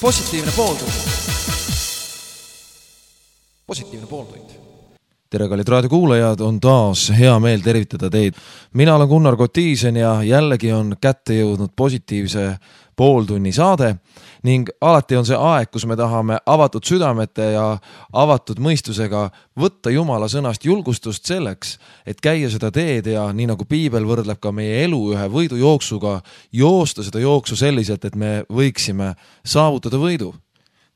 Positiivne pooltund. Positiivne pooltund. Tere, kallid raadiokuulajad, on taas hea meel tervitada teid. Mina olen Gunnar Kotiisen ja jällegi on kätte jõudnud positiivse pooltunni saade ning alati on see aeg, kus me tahame avatud südamete ja avatud mõistusega võtta Jumala sõnast julgustust selleks, et käia seda teed ja nii nagu Piibel võrdleb ka meie elu ühe võidujooksuga, joosta seda jooksu selliselt, et me võiksime saavutada võidu.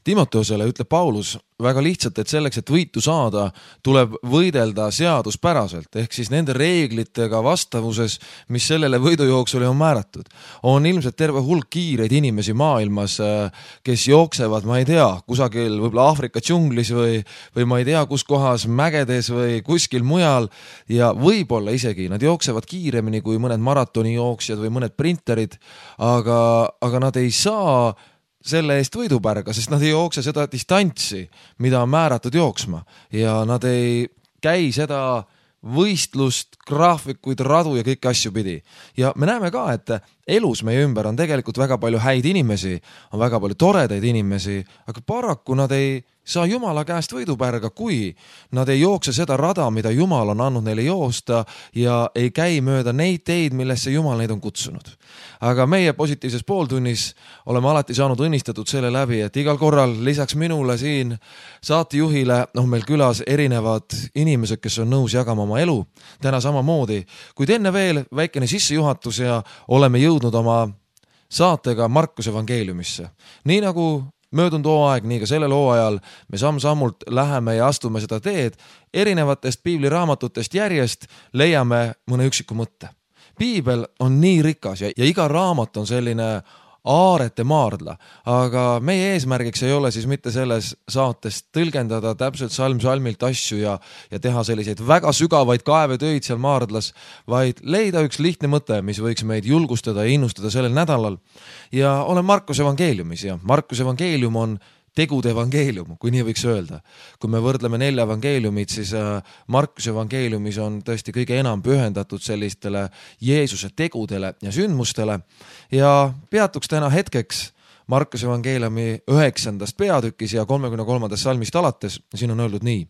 Timoteosele ütleb Paulus väga lihtsalt, et selleks, et võitu saada, tuleb võidelda seaduspäraselt, ehk siis nende reeglitega vastavuses, mis sellele võidujooksule on määratud. On ilmselt terve hulk kiireid inimesi maailmas, kes jooksevad, ma ei tea, kusagil võib-olla Aafrika džunglis või ma ei tea, kus kohas mägedes või kuskil mujal ja võib-olla isegi nad jooksevad kiiremini kui mõned maratonijooksjad või mõned printerid, aga nad ei saa selle eest võidupärga, sest nad ei jookse seda distantsi, mida on määratud jooksma ja nad ei käi seda võistlust, graafikuid, radu ja kõiki asju pidi. Ja me näeme ka, et elus meie ümber on tegelikult väga palju häid inimesi, on väga palju toredaid inimesi, aga paraku nad ei saa Jumala käest võidupärga, kui nad ei jookse seda rada, mida Jumal on andnud neile joosta ja ei käi mööda neid teid, millesse Jumal neid on kutsunud. Aga meie positiivses pooltunnis oleme alati saanud õnnistatud selle läbi, et igal korral lisaks minule siin saatejuhile on meil külas erinevad inimesed, kes on nõus jagama oma elu. Täna samamoodi, kuid enne veel väikene sissejuhatus ja oleme jõudnud oma saatega Markuse evangeeliumisse. Nii nagu möödunud hooaeg, nii ka sellel hooajal me samm-sammult läheme ja astume seda teed, erinevatest piibliraamatutest järjest leiame mõne üksiku mõtte. Piibel on nii rikas ja iga raamat on selline aarete maardla, aga meie eesmärgiks ei ole siis mitte selles saates tõlgendada täpselt salm-salmilt asju ja teha selliseid väga sügavaid kaevetöid seal maardlas, vaid leida üks lihtne mõte, mis võiks meid julgustada ja innustada sellel nädalal. Ja olen Markuse evangeeliumis ja Markuse evangeelium on tegude evangeelium, kui nii võiks öelda. Kui me võrdleme 4 evangeeliumid, siis Markuse evangeeliumis on tõesti kõige enam pühendatud sellistele Jeesuse tegudele ja sündmustele ja peatuks täna hetkeks Markuse evangeeliumi 9. peatükis ja 33. salmist alates. Siin on öeldud nii.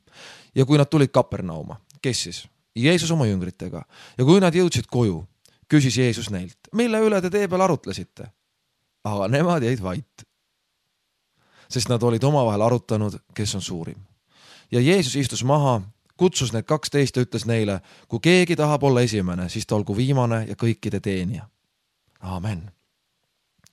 Ja kui nad tulid Kapernauma, kes siis? Jeesus oma jüngritega. Ja kui nad jõudsid koju, küsis Jeesus neilt, mille üle te tee peal arutlesite? Aga nemad jäid vait, sest nad olid omavahel arutanud, kes on suurim. Ja Jeesus istus maha, kutsus need 12 ja ütles neile, kui keegi tahab olla esimene, siis ta olgu viimane ja kõikide teenija. Amen.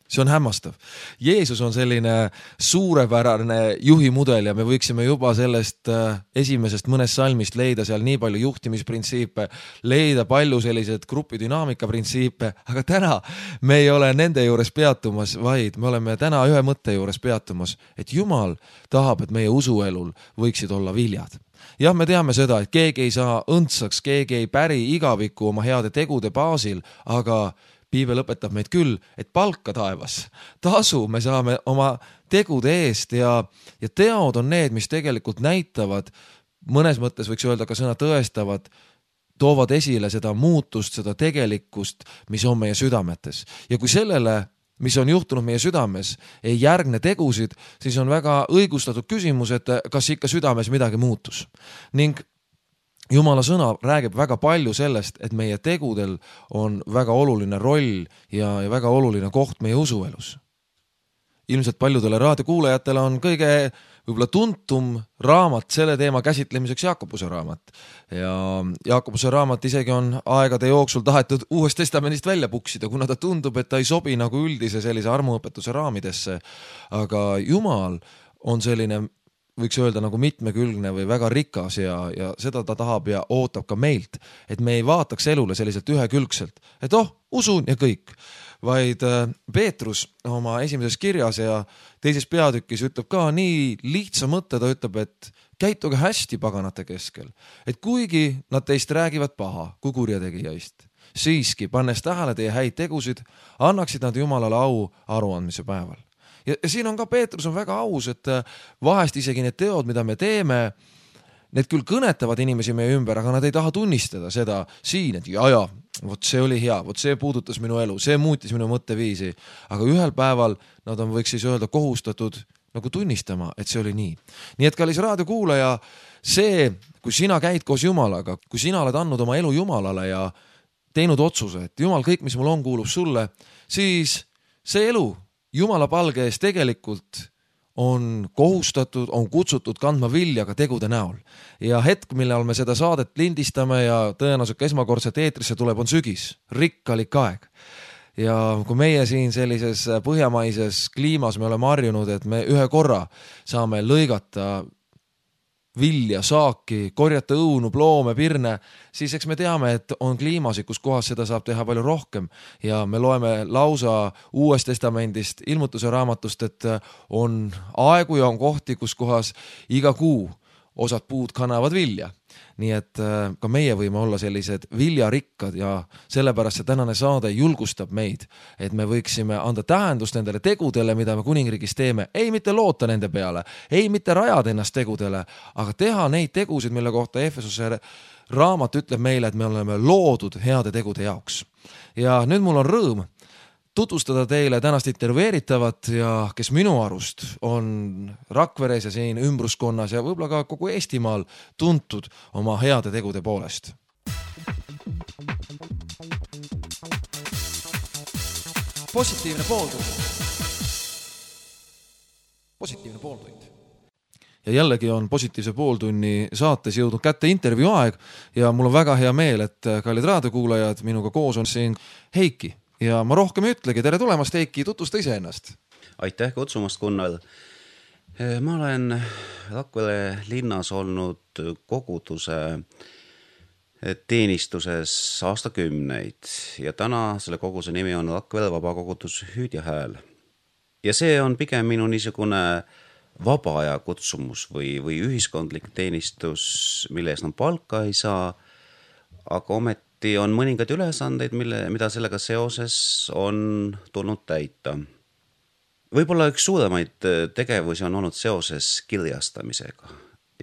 See on hämmastav. Jeesus on selline suurepärane juhimudel ja me võiksime juba sellest esimesest mõnest salmist leida seal nii palju juhtimisprintsiipe, leida palju sellised grupidünaamika printsiipe, aga täna me ei ole nende juures peatumas, vaid me oleme täna ühe mõtte juures peatumas, et Jumal tahab, et meie usuelul võiksid olla viljad. Jah, me teame seda, et keegi ei saa õndsaks, keegi ei päri igaviku oma heade tegude baasil, aga Piibel õpetab meid küll, et palka taevas, tasu me saame oma tegude eest ja teod on need, mis tegelikult näitavad, mõnes mõttes võiks öelda ka sõna tõestavad, toovad esile seda muutust, seda tegelikkust, mis on meie südametes. Ja kui sellele, mis on juhtunud meie südames, ei järgne tegusid, siis on väga õigustatud küsimus, et kas ikka südames midagi muutus. Ning Jumala sõna räägib väga palju sellest, et meie tegudel on väga oluline roll ja väga oluline koht meie usuelus. Ilmselt paljudele raadiokuulajatele on kõige võib-olla tuntum raamat selle teema käsitlemiseks Jaakobuse raamat. Ja Jaakobuse raamat isegi on aegade jooksul tahetud Uuest Testamendist välja puksida, kuna ta tundub, et ta ei sobi nagu üldise sellise armuõpetuse raamidesse. Aga Jumal on selline, võiks öelda nagu mitmekülgne või väga rikas ja seda ta tahab ja ootab ka meilt, et me ei vaataks elule selliselt ühekülgselt, et usun ja kõik, vaid Peetrus oma esimeses kirjas ja 2. peatükis ütleb ka nii lihtsa mõtte, ta ütleb, et käituge hästi paganate keskel, et kuigi nad teist räägivad paha kui kurjategijaist, siiski pannes tähele teie häid tegusid, annaksid nad Jumalale au aruandmise päeval. Ja siin on ka Peetrus on väga aus, et vahest isegi need teod, mida me teeme, need küll kõnetavad inimesi meie ümber, aga nad ei taha tunnistada seda siin, et ja, vot see oli hea, vot see puudutas minu elu, see muutis minu mõtteviisi, aga ühel päeval nad on, võiks siis öelda, kohustatud nagu tunnistama, et see oli nii. Nii et kallis raadiokuulaja, see, kui sina käid koos Jumalaga, kui sina oled andnud oma elu Jumalale ja teinud otsuse, et Jumal, kõik, mis mul on, kuulub sulle, siis see elu Jumala palge ees tegelikult on kohustatud, on kutsutud kandma vilja ka tegude näol. Ja hetk, millal me seda saadet lindistame ja tõenäoliselt esmakordselt eetrisse tuleb, on sügis, rikkalik aeg. Ja kui meie siin sellises põhjamaises kliimas me oleme harjunud, et me ühe korra saame lõigata vilja, saaki, korjata õunu, ploome, pirne, siis eks me teame, et on kliimasid, kus kohas seda saab teha palju rohkem ja me loeme lausa Uuest Testamendist, ilmutuse raamatust, et on aegu ja on kohti, kus kohas iga kuu osad puud kannavad vilja. Nii et ka meie võime olla sellised viljarikkad ja sellepärast see tänane saade julgustab meid, et me võiksime anda tähendust nendele tegudele, mida me kuningriigis teeme. Ei mitte loota nende peale, ei mitte rajada ennast tegudele, aga teha neid tegusid, mille kohta Efesuse raamat ütleb meile, et me oleme loodud heade tegude jaoks. Ja nüüd mul on rõõm tutvustada teile tänast intervjueeritavat ja kes minu arust on Rakveres ja siin ümbruskonnas ja võib-olla ka kogu Eestimaal tuntud oma heade tegude poolest. Positiivne pooltund. Positiivne pooltund. Ja jällegi on positiivse pooltunni saates jõudnud kätte intervjuu aeg ja mul on väga hea meel, et kallid raadiokuulajad, minuga koos on siin Heiki. Ja ma rohkem ei ütlegi, tere tulemast, Heiki, tutvusta ise ennast. Aitäh kutsumast, Gunnar. Ma olen Rakvere linnas olnud koguduse teenistuses aastakümneid ja täna selle koguduse nimi on Rakvere vabakogudus Hüüd ja Hääl. Ja see on pigem minu niisugune vaba aja kutsumus või ühiskondlik teenistus, mille eest on palka ei saa, aga ometi on mõningad ülesandeid, mida sellega seoses on tulnud täita. Võib-olla üks suuremaid tegevusi on olnud seoses kirjastamisega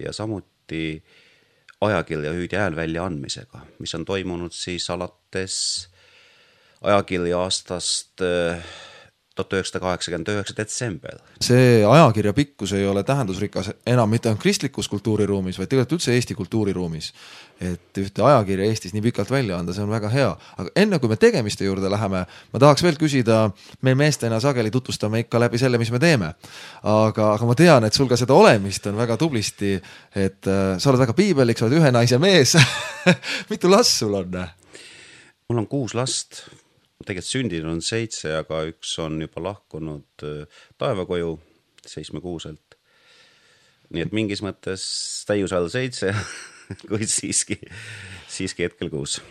ja samuti ajakirja Hüüd ja Hääl välja andmisega, mis on toimunud siis alates ajakirja aastast 1989 detsember. See ajakirja pikkus ei ole tähendusrikas enam mitte ainult kristlikus kultuuriruumis, vaid tegelikult üldse Eesti kultuuriruumis. Et ühte ajakirja Eestis nii pikalt välja anda, see on väga hea. Aga enne kui me tegemiste juurde läheme, ma tahaks veel küsida, me meestena sageli tutvustame ikka läbi selle, mis me teeme. Aga ma tean, et sul ka seda olemist on väga tublisti, et sa oled väga piibelik, sa oled ühe naise mees. Mitu last sul on? Mul on 6 last. Tegelikult sündinud on 7, aga üks on juba lahkunud taevakoju 76-lt. Nii et mingis mõttes täiusajal 7, kuid siiski hetkel 6.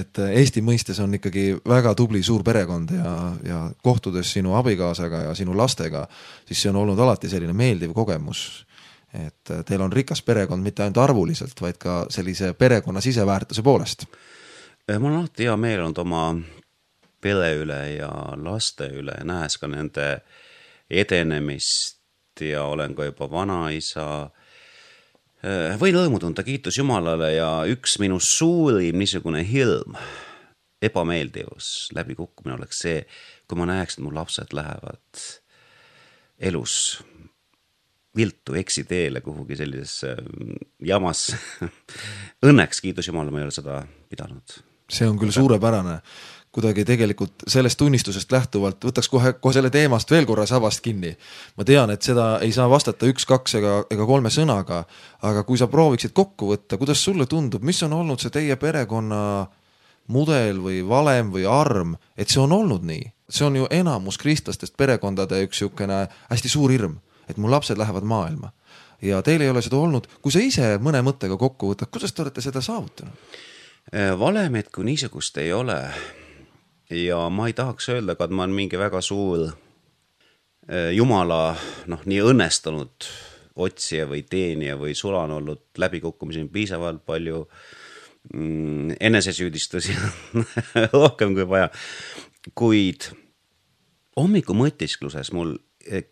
Et Eesti mõistes on ikkagi väga tubli suur perekond ja kohtudes sinu abikaasaga ja sinu lastega, siis see on olnud alati selline meeldiv kogemus. Et teil on rikas perekond mitte ainult arvuliselt, vaid ka sellise perekonna siseväärtuse poolest. Mul on alati hea meel olnud oma pere üle ja laste üle, nähes ka nende edenemist ja olen ka juba vanaisa. Võin rõõmu tunda, kiitus Jumalale ja üks minu suurim niisugune hirm, ebameeldivus, läbikukkumine oleks see, kui ma näeks, et mu lapsed lähevad elus viltu eksiteele kuhugi sellisesse jamas. Õnneks, kiitus Jumalale, ma ei ole seda pidanud. See on küll suurepärane. Kuidagi tegelikult sellest tunnistusest lähtuvalt võtaks kohe selle teemast veel korra sabast kinni. Ma tean, et seda ei saa vastata 1, 2 ega 3 sõnaga, aga kui sa prooviksid kokku võtta, kuidas sulle tundub, mis on olnud see teie perekonna mudel või valem või arm, et see on olnud nii? See on ju enamus kristlastest perekondade üks niisugune hästi suur hirm, et mu lapsed lähevad maailma. Ja teil ei ole seda olnud. Kui sa ise mõne mõttega kokku võtad, kuidas te olete seda saavutanud? Valemet kui niisugust ei ole. Ja ma ei tahaks öelda, et ma olen mingi väga suur Jumala nii õnnestunud otsija või teenija või sulan olnud läbikukkumisi piisavalt palju enesesüüdistusi rohkem kui vaja. Kuid hommiku mõtiskluses mul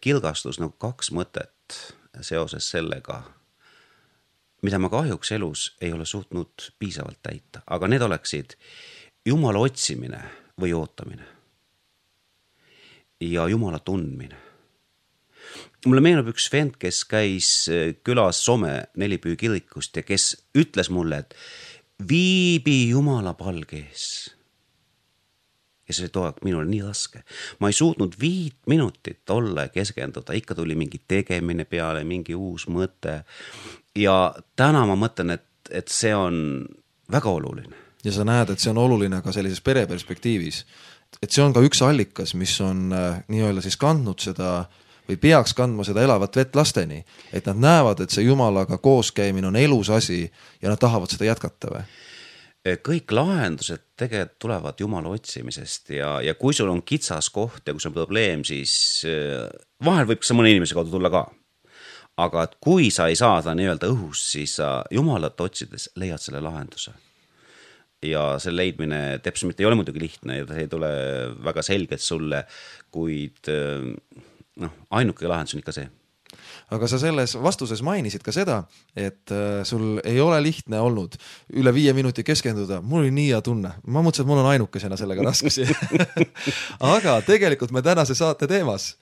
kilgastus 2 mõtet seoses sellega, mida ma kahjuks elus ei ole suutnud piisavalt täita, aga need oleksid Jumala otsimine või ootamine ja Jumala tundmine. Mulle meenub üks vend, kes käis külas Soome Nelipüü kirikust ja kes ütles mulle, et viibi Jumala palge ees. Ja see oli too aeg minule nii raske. Ma ei suutnud 5 minutit olla ja keskenduda, ikka tuli mingi tegemine peale, mingi uus mõte. Ja täna ma mõtlen, et see on väga oluline. Ja sa näed, et see on oluline ka sellises pereperspektiivis. Et see on ka üks allikas, mis on nii-öelda siis kandnud seda või peaks kandma seda elavat vett lasteni. Et nad näevad, et see Jumalaga kooskäimine on elus asi ja nad tahavad seda jätkata või? Kõik lahendused tegelikult tulevad Jumala otsimisest ja kui sul on kitsas koht ja kui sul on probleem, siis vahel võib see mõne inimese kaudu tulla ka. Aga et kui sa ei saa seda nii-öelda õhus, siis sa Jumalat otsides leiad selle lahenduse. Ja selle leidmine täpselt ei ole muidugi lihtne ja see ei tule väga selgelt sulle, kuid ainuke lahendus on ikka see. Aga sa selles vastuses mainisid ka seda, et sul ei ole lihtne olnud üle 5 minuti keskenduda. Mul oli nii hea tunne. Ma mõtlesin, et mul on ainukesena sellega raskusi. Aga tegelikult me tänase saate teemas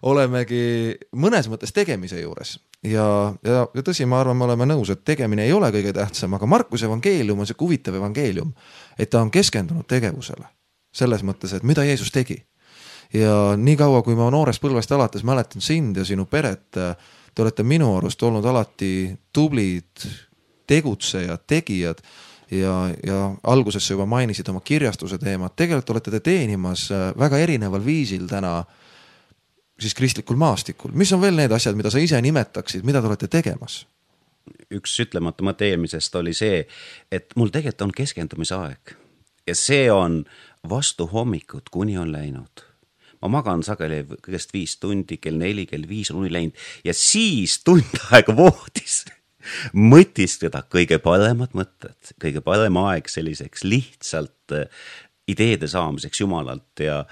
olemegi mõnes mõttes tegemise juures. Ja tõsi, ma arvan, me oleme nõus, et tegemine ei ole kõige tähtsam, aga Markuse evangeelium on see huvitav evangeelium, et ta on keskendunud tegevusele. Selles mõttes, et mida Jeesus tegi. Ja nii kaua, kui ma noorest põlvest alates mäletan sind ja sinu peret, te olete minu arust olnud alati tublid tegutsejad, tegijad ja alguses sa juba mainisid oma kirjastuse teemat. Tegelikult olete te teenimas väga erineval viisil täna siis kristlikul maastikul. Mis on veel need asjad, mida sa ise nimetaksid, mida te olete tegemas? Üks ütlemata mõte eelmisest oli see, et mul tegelikult on keskendumise aeg ja see on vastu hommikut, kuni on läinud. Ma magan sageli kõigest 5 tundi, kell 4, kell 5 on uni läinud ja siis tund aega voodis mõtiskleda kõige paremad mõtted, kõige parem aeg selliseks lihtsalt ideede saamiseks Jumalalt ja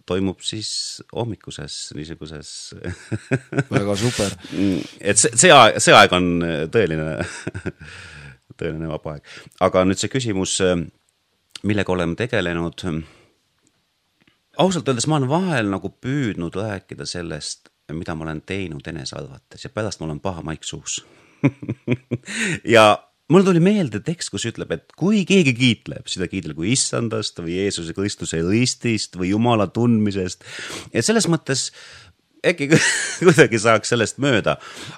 toimub siis hommikuses niisuguses väga super. Et see aeg on tõeline vaba aeg. Aga nüüd see küsimus, millega oleme tegelenud, ausalt öeldes ma olen vahel nagu püüdnud rääkida sellest, mida ma olen teinud enesearvates ja pärast mul on paha maik suus. Ja mul tuli meelde tekst, kus ütleb, et kui keegi kiitleb, seda kiitleb kui issandast või Jeesuse Kristuse ristist või Jumala tundmisest. Ja selles mõttes äkki kuidagi saaks sellest mööda.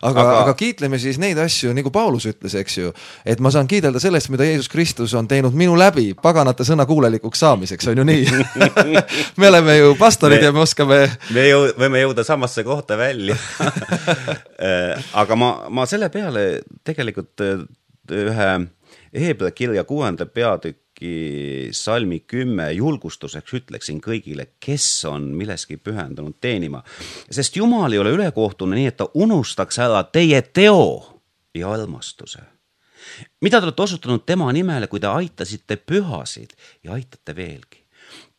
Aga kiitleme siis neid asju, nagu Paulus ütles, eks ju, et ma saan kiidelda sellest, mida Jeesus Kristus on teinud minu läbi paganate sõna kuulelikuks saamiseks, on ju nii? Me oleme ju pastorid ja me oskame... Me võime jõuda samasse kohta välja. Aga ma selle peale tegelikult ühe Hebra kirja 6. peatüki salmi 10 julgustuseks ütleksin kõigile, kes on milleski pühendunud teenima. Sest Jumal ei ole ülekohtune nii, et ta unustaks ära teie teo ja armastuse. Mida te olete osutanud tema nimele, kui te aitasite pühasid ja aitate veelgi.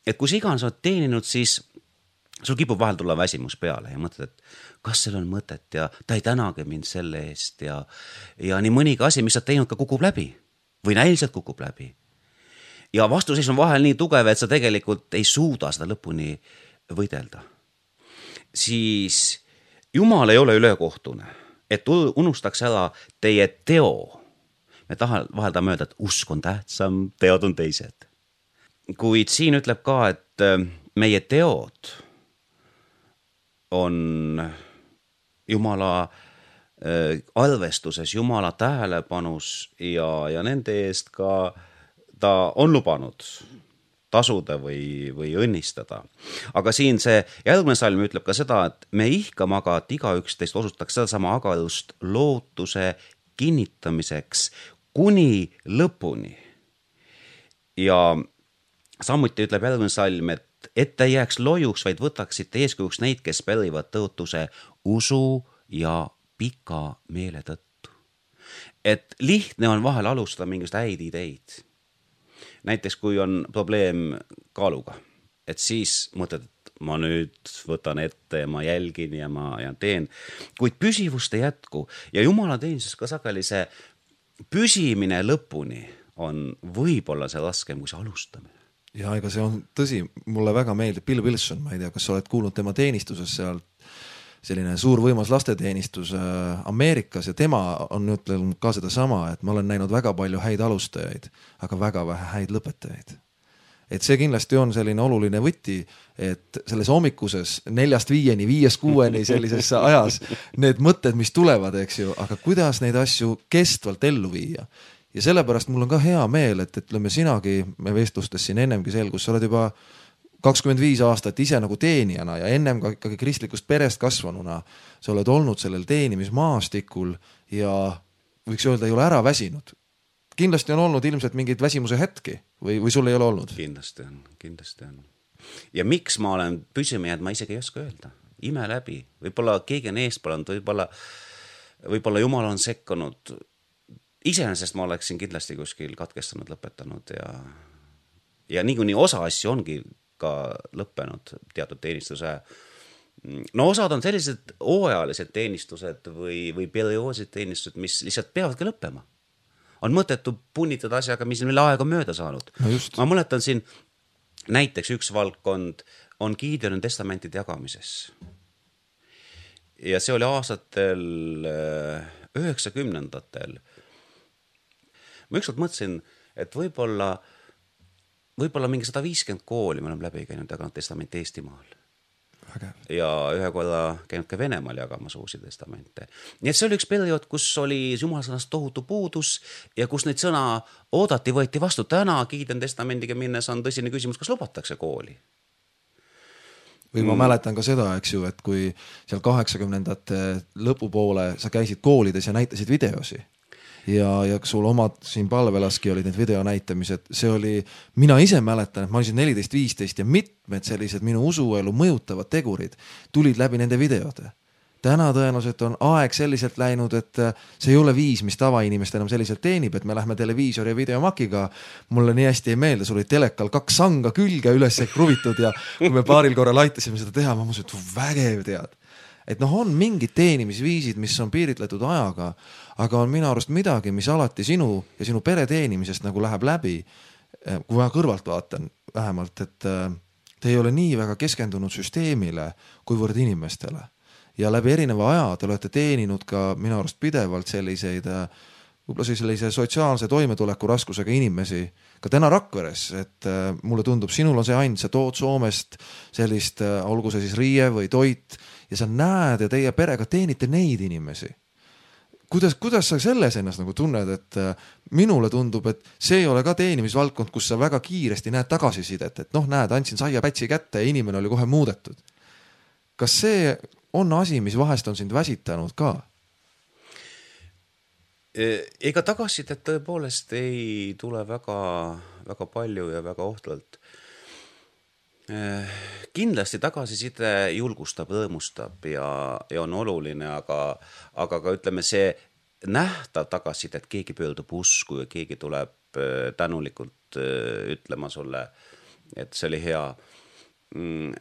Et kui sa iganes oled teeninud, siis sul kipub vahel tulla väsimus peale ja mõtled, et kas seal on mõtet ja ta ei tänage mind selle eest ja nii mõnigi asi, mis sa teinud, ka kukub läbi või näiliselt kukub läbi. Ja vastuseis on vahel nii tugev, et sa tegelikult ei suuda seda lõpuni võidelda. Siis Jumal ei ole ülekohtune, et unustaks ära teie teo. Me vahel tahame öelda, et usk on tähtsam, teod on teised. Kuid siin ütleb ka, et meie teod on Jumala arvestuses, Jumala tähelepanus ja nende eest ka ta on lubanud tasuda või õnnistada. Aga siin see järgmine salm ütleb ka seda, et me ihkame aga, et igaüks teist osutaks seda sama agarust lootuse kinnitamiseks kuni lõpuni. Ja samuti ütleb järgmine salm, et ei jääks lojuks, vaid võtaksite eeskujuks neid, kes pärivad tõotuse usu ja pika meele tõttu. Et lihtne on vahel alustada mingist häid ideid. Näiteks kui on probleem kaaluga, et siis mõtled, et ma nüüd võtan ette ja ma jälgin ja teen, kuid püsivust ei jätku ja Jumala teenises ka sageli see püsimine lõpuni on võib-olla see raskem kui see alustamine. Ja ega see on tõsi, mulle väga meeldib Bill Wilson, ma ei tea, kas sa oled kuulnud tema teenistuses seal, selline suur võimas lasteteenistus Ameerikas ja tema on ütlenud ka seda sama, et ma olen näinud väga palju häid alustajaid, aga väga vähe häid lõpetajaid. Et see kindlasti on selline oluline võti, et selles hommikuses 4-5, 5-6 sellises ajas need mõtted, mis tulevad, eks ju, aga kuidas neid asju kestvalt ellu viia. Ja sellepärast mul on ka hea meel, et ütleme sinagi, me vestlustes siin ennemgi selgus, sa oled juba 25 aastat ise nagu teenijana ja ennem ka ikkagi kristlikust perest kasvanuna, sa oled olnud sellel teenimismaastikul ja võiks öelda, ei ole ära väsinud. Kindlasti on olnud ilmselt mingid väsimuse hetki või sul ei ole olnud? Kindlasti on. Ja miks ma olen püsima jäänud, ma isegi ei oska öelda. Ime läbi. Võib-olla keegi on eespalanud, võib-olla Jumal on sekkunud. Iseenesest ma oleksin kindlasti kuskil katkestanud, lõpetanud ja nii osa asju ongi ka lõppenud teatud teenistuse. No osad on sellised hooajalised teenistused või perioosid teenistused, mis lihtsalt peavadki lõppema. On mõttetu punnitada asjaga, mis mille aega mööda saanud. No just. Ma mõtletan siin näiteks üks valdkond on Gideoni testamentide jagamises. Ja see oli aastatel 90-ndatel. Ma ükskord mõtlesin, et võib-olla mingi 150 kooli me oleme läbi käinud jaganud testamenti Eestimaal. Ja ühe korda käinud ka Venemaal jagamas uusi testamente. Nii et see oli üks periood, kus oli Jumalasõnast tohutu puudus ja kus neid sõna oodati, võeti vastu täna Gideoni testamendiga minnes on tõsine küsimus, kas lubatakse kooli. Või ma mäletan ka seda, eks ju, et kui seal 80-ndate lõpupoole sa käisid koolides ja näitasid videosi ja sul omad siin palvelaski olid need video näitamised, see oli, mina ise mäletan, et ma olisin 14-15 ja mitmed sellised minu usuelu mõjutavad tegurid tulid läbi nende videode. Täna tõenäoliselt on aeg selliselt läinud, et see ei ole viis, mis tavainimest enam selliselt teenib, et me lähme televiisori ja videomakiga. Mulle nii hästi ei meelde, sul oli telekal 2 sanga külge üles kruvitud ja kui me paaril korral aitasime seda teha, ma mõtlesin, et vägev tead. Et on mingid teenimisviisid, mis on piiritletud ajaga, aga on minu arust midagi, mis alati sinu ja sinu pere teenimisest nagu läheb läbi, kui ma kõrvalt vaatan vähemalt, et te ei ole nii väga keskendunud süsteemile kuivõrd inimestele. Ja läbi erineva aja te olete teeninud ka minu arust pidevalt selliseid, võib-olla sellise sotsiaalse toimetuleku raskusega inimesi, ka täna Rakveres, et mulle tundub, sinul on see ainult, sa tood Soomest sellist, olgu see siis riie või toit, ja sa näed ja teie perega teenite neid inimesi. Kuidas sa selles ennast nagu tunned, et minule tundub, et see ei ole ka teenimisvaldkond, kus sa väga kiiresti näed tagasisidet, et näed, andsin saiapätsi kätte ja inimene oli kohe muudetud. Kas see on asi, mis vahest on sind väsitanud ka? Ega tagasisidet tõepoolest ei tule väga, väga palju ja väga ohtralt. Kindlasti tagasiside julgustab, rõõmustab ja on oluline, aga ka ütleme see nähtav tagasiside, et keegi pöördub usku ja keegi tuleb tänulikult ütlema sulle, et see oli hea.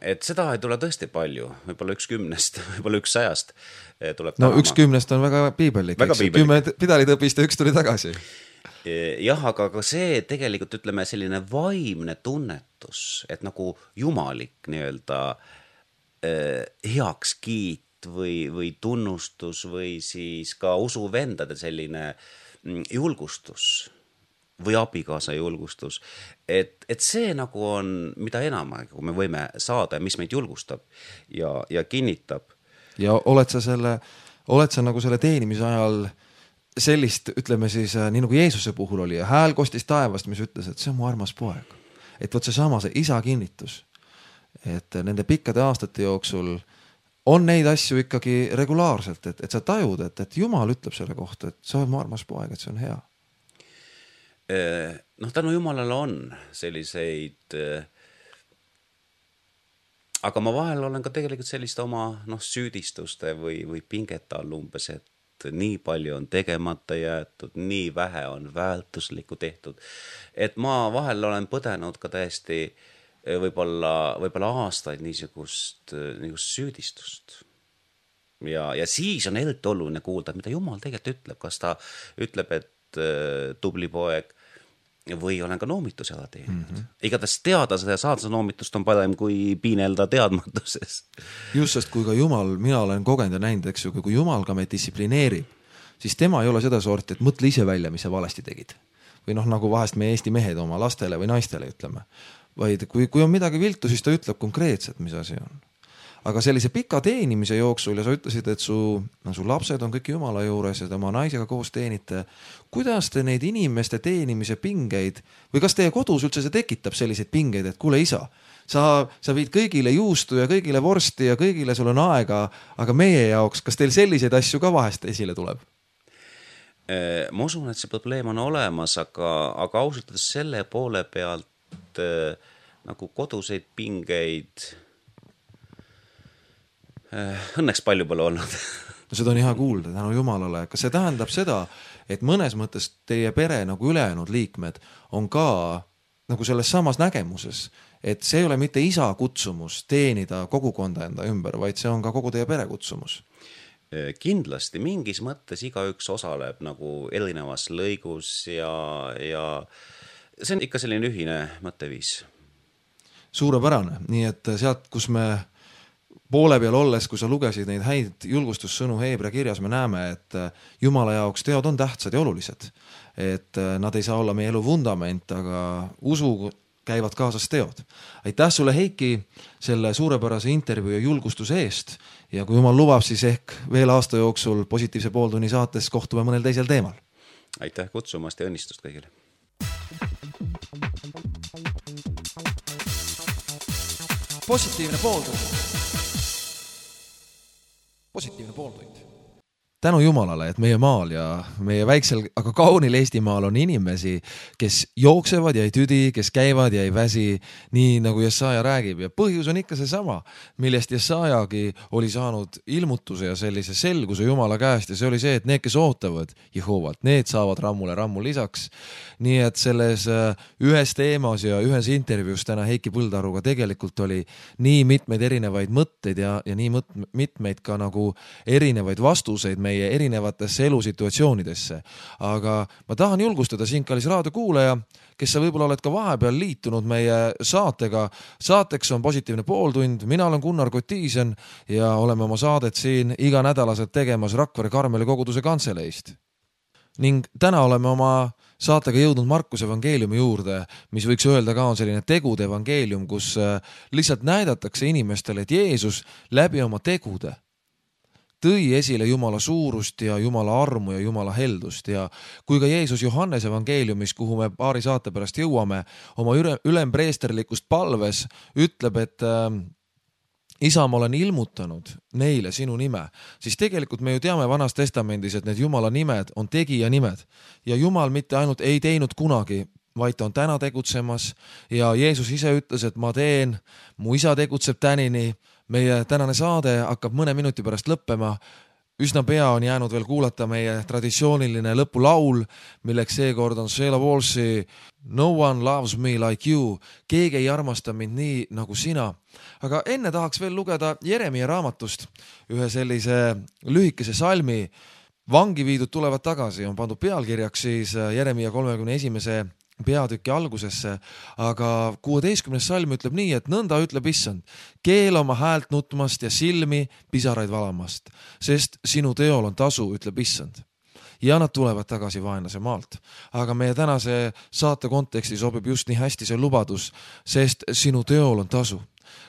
Et seda ei tule tõesti palju, võib-olla 1/10, võib-olla 100 tuleb tänama. 1/10 on väga piibellik, eks ju, 10 pidalid õpist ja 1 tuli tagasi. Jah, aga see tegelikult ütleme selline vaimne tunnetus, et nagu jumalik nii-öelda heakskiit või tunnustus või siis ka usuvendade selline julgustus või abikaasa julgustus, et see nagu on, mida enam kui me võime saada ja mis meid julgustab ja kinnitab. Ja oled sa nagu selle teenimise ajal sellist, ütleme siis, nii nagu Jeesuse puhul oli ja hääl kostis taevast, mis ütles, et see on mu armas poeg. Et võt see sama, see isa kinnitus, et nende pikkade aastate jooksul on neid asju ikkagi regulaarselt, et sa tajud, et Jumal ütleb selle kohta, et see on mu armas poeg, et see on hea. Tänu Jumalale on selliseid, aga ma vahel olen ka tegelikult selliste oma süüdistuste või pingete all umbes, et nii palju on tegemata jäetud, nii vähe on väärtuslikku tehtud, et ma vahel olen põdenud ka täiesti võib-olla aastaid niisugust süüdistust. Ja siis on eriti oluline kuulda, mida Jumal tegelikult ütleb, kas ta ütleb, et tubli poeg või olen ka noomituse ala teeninud. Igatahes teada seda ja saada seda noomitust on parem kui piinelda teadmatuses. Just, sest kui ka Jumal, mina olen kogenud ja näinud, eks ju, kui Jumal ka meid distsiplineerib, siis tema ei ole seda sorti, et mõtle ise välja, mis sa valesti tegid. Või nagu vahest meie Eesti mehed oma lastele või naistele ütleme. Vaid kui on midagi viltu, siis ta ütleb konkreetselt, mis asi on. Aga sellise pika teenimise jooksul ja sa ütlesid, et su lapsed on kõik Jumala juures ja tema naisega koos teenite. Kuidas te neid inimeste teenimise pingeid või kas teie kodus üldse see tekitab selliseid pingeid, et kuule isa, sa viid kõigile juustu ja kõigile vorsti ja kõigile sul on aega, aga meie jaoks, kas teil selliseid asju ka vahest esile tuleb? Ma usun, et see probleem on olemas, aga ausalt selle poole pealt nagu koduseid pingeid õnneks palju pole olnud. Seda on hea kuulda, tänu Jumalale. Kas see tähendab seda, et mõnes mõttes teie pere nagu ülejäänud liikmed on ka nagu selles samas nägemuses, et see ei ole mitte isa kutsumus teenida kogukonda enda ümber, vaid see on ka kogu teie pere kutsumus? Kindlasti, mingis mõttes igaüks osaleb nagu erinevas lõigus ja see on ikka selline ühine mõtteviis. Suurepärane, nii et sealt, kus me poole peal olles, kui sa lugesid neid häid julgustussõnu Heebrea kirjas, me näeme, et Jumala jaoks teod on tähtsad ja olulised. Et nad ei saa olla meie elu vundament, aga usu käivad kaasas teod. Aitäh sulle, Heiki, selle suurepärase intervjuu ja julgustuse eest. Ja kui Jumal lubab, siis ehk veel aasta jooksul Positiivse pooltunni saates kohtume mõnel teisel teemal. Aitäh kutsumast ja õnnistust kõigile. Positiivne pooltund. Positiivne pooltund. Tänu Jumalale, et meie maal ja meie väiksel, aga kaunil Eestimaal on inimesi, kes jooksevad ja ei tüdi, kes käivad ja ei väsi, nii nagu Jesaja räägib. Ja põhjus on ikka see sama, millest Jesajagi oli saanud ilmutuse ja sellise selguse Jumala käest. Ja see oli see, et need, kes ootavad Jehovalt, need saavad rammu lisaks. Nii et selles ühes teemas ja ühes intervjuus täna Heiki Põldaruga tegelikult oli nii mitmeid erinevaid mõtteid ja nii mitmeid ka nagu erinevaid vastuseid meie erinevatesse elusituatsioonidesse. Aga ma tahan julgustada sind, kallis raadiokuulaja, kes sa võib-olla oled ka vahepeal liitunud meie saatega. Saateks on Positiivne pooltund. Mina olen Gunnar Kotiisen ja oleme oma saadet siin iga nädalaselt tegemas Rakvere Karmeli koguduse kantseleist. Ning täna oleme oma saatega jõudnud Markuse evangeeliumi juurde, mis võiks öelda ka on selline tegude evangeelium, kus lihtsalt näidatakse inimestele, et Jeesus läbi oma tegude tõi esile Jumala suurust ja Jumala armu ja Jumala heldust. Ja kui ka Jeesus Johannes evangeeliumis, kuhu me paari saate pärast jõuame, oma ülempreesterlikust palves ütleb, et isa, ma olen ilmutanud neile sinu nime, siis tegelikult me ju teame Vanas Testamendis, et need Jumala nimed on tegija nimed. Ja Jumal mitte ainult ei teinud kunagi, vaid ta on täna tegutsemas ja Jeesus ise ütles, et ma teen, mu isa tegutseb tänini. Meie tänane saade hakkab mõne minuti pärast lõppema. Üsna pea on jäänud veel kuulata meie traditsiooniline lõpulaul, milleks seekord on Sheila Walshi No one loves me like you. Keegi ei armasta mind nii nagu sina. Aga enne tahaks veel lugeda Jeremia raamatust ühe sellise lühikese salmi. Vangi viidud tulevad tagasi, on pandud pealkirjaks siis Jeremia 31. peatüki algusesse, aga 16. salm ütleb nii, et nõnda ütleb issand, keel oma häält nutmast ja silmi pisaraid valamast, sest sinu teol on tasu, ütleb issand. Ja nad tulevad tagasi vaenlase maalt. Aga meie tänase saate konteksti sobib just nii hästi see lubadus, sest sinu teol on tasu.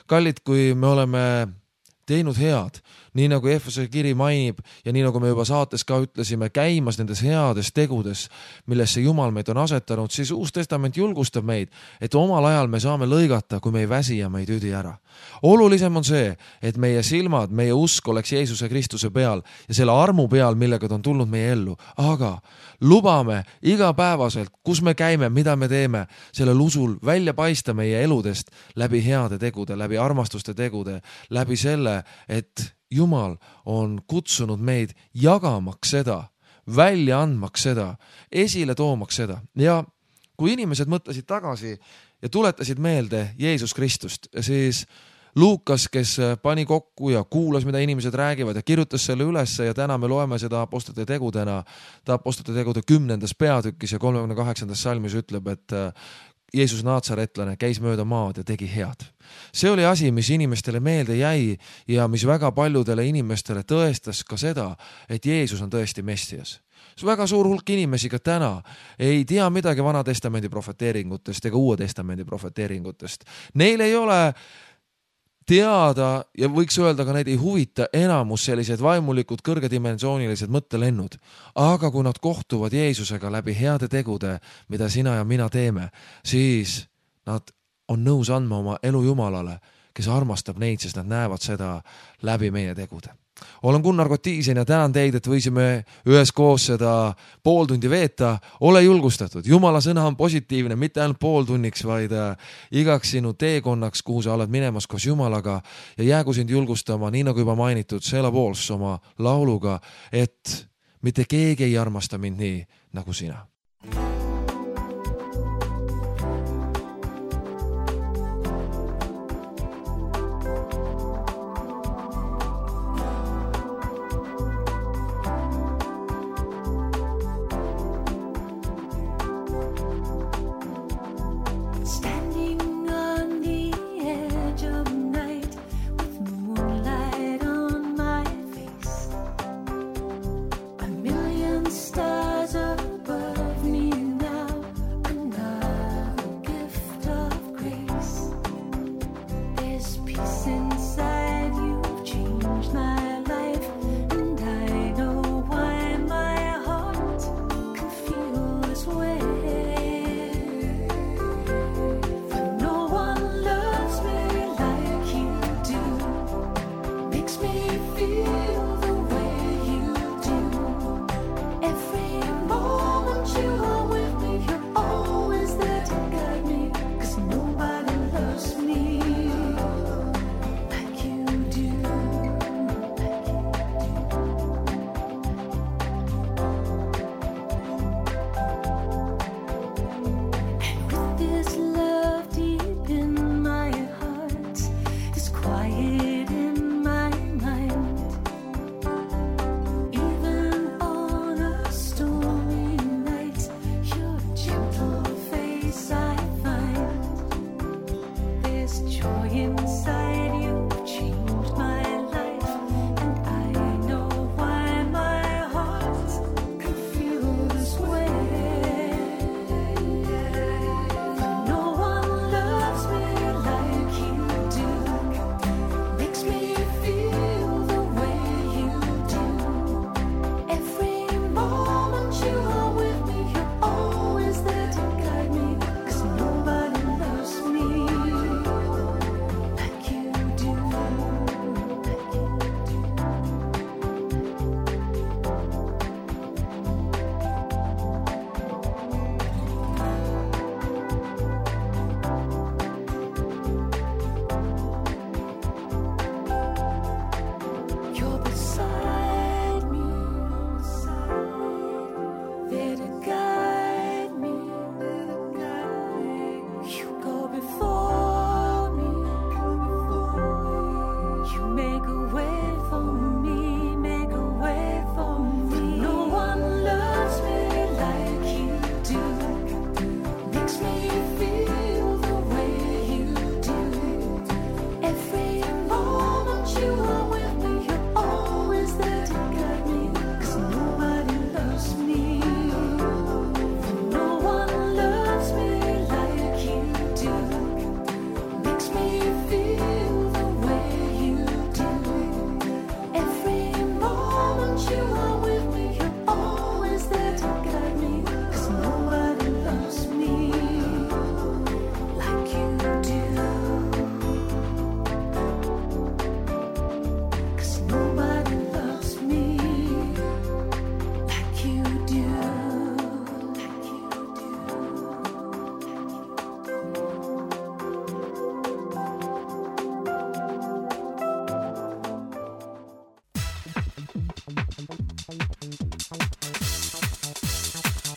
Kallid, kui me oleme teinud head, nii nagu Efese kiri mainib ja nii nagu me juba saates ka ütlesime, käimas nendes heades tegudes, millesse Jumal meid on asetanud, siis Uus Testament julgustab meid, et omal ajal me saame lõigata, kui me ei väsi ja me ei tüdi ära. Olulisem on see, et meie silmad, meie usk oleks Jeesuse Kristuse peal ja selle armu peal, millega ta on tulnud meie ellu. Aga lubame igapäevaselt, kus me käime, mida me teeme, sellel usul välja paista meie eludest läbi heade tegude, läbi armastuste tegude, läbi selle, et Jumal on kutsunud meid jagamaks seda, välja andmaks seda, esile toomaks seda. Ja kui inimesed mõtlesid tagasi ja tuletasid meelde Jeesus Kristust, siis Luukas, kes pani kokku ja kuulas, mida inimesed räägivad ja kirjutas selle ülesse ja täna me loeme seda Apostlite tegudena. Ta Apostlite tegude 10. peatükis ja 38. salmis ütleb, et Jeesus Naatsaretlane käis mööda maad ja tegi head. See oli asi, mis inimestele meelde jäi ja mis väga paljudele inimestele tõestas ka seda, et Jeesus on tõesti Messias. See väga suur hulk inimesi ka täna ei tea midagi Vana Testamendi profeteeringutest ega Uue Testamendi profeteeringutest. Neil ei ole teada ja võiks öelda ka neid ei huvita enamus sellised vaimulikud kõrgedimensioonilised mõttelennud. Aga kui nad kohtuvad Jeesusega läbi heade tegude, mida sina ja mina teeme, siis nad on nõus andma oma elu Jumalale, kes armastab neid, sest nad näevad seda läbi meie tegude. Olen Gunnar Kotiisen ja tänan teid, et võisime üheskoos seda pool tundi veeta. Ole julgustatud. Jumala sõna on positiivne, mitte ainult pool tunniks, vaid igaks sinu teekonnaks, kuhu sa oled minemas koos Jumalaga ja jäägu sind julgustama, nii nagu juba mainitud, Sela Pools oma lauluga, et mitte keegi ei armasta mind nii nagu sina.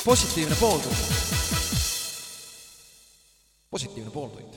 positiivne pooltund. positiivne pooltund.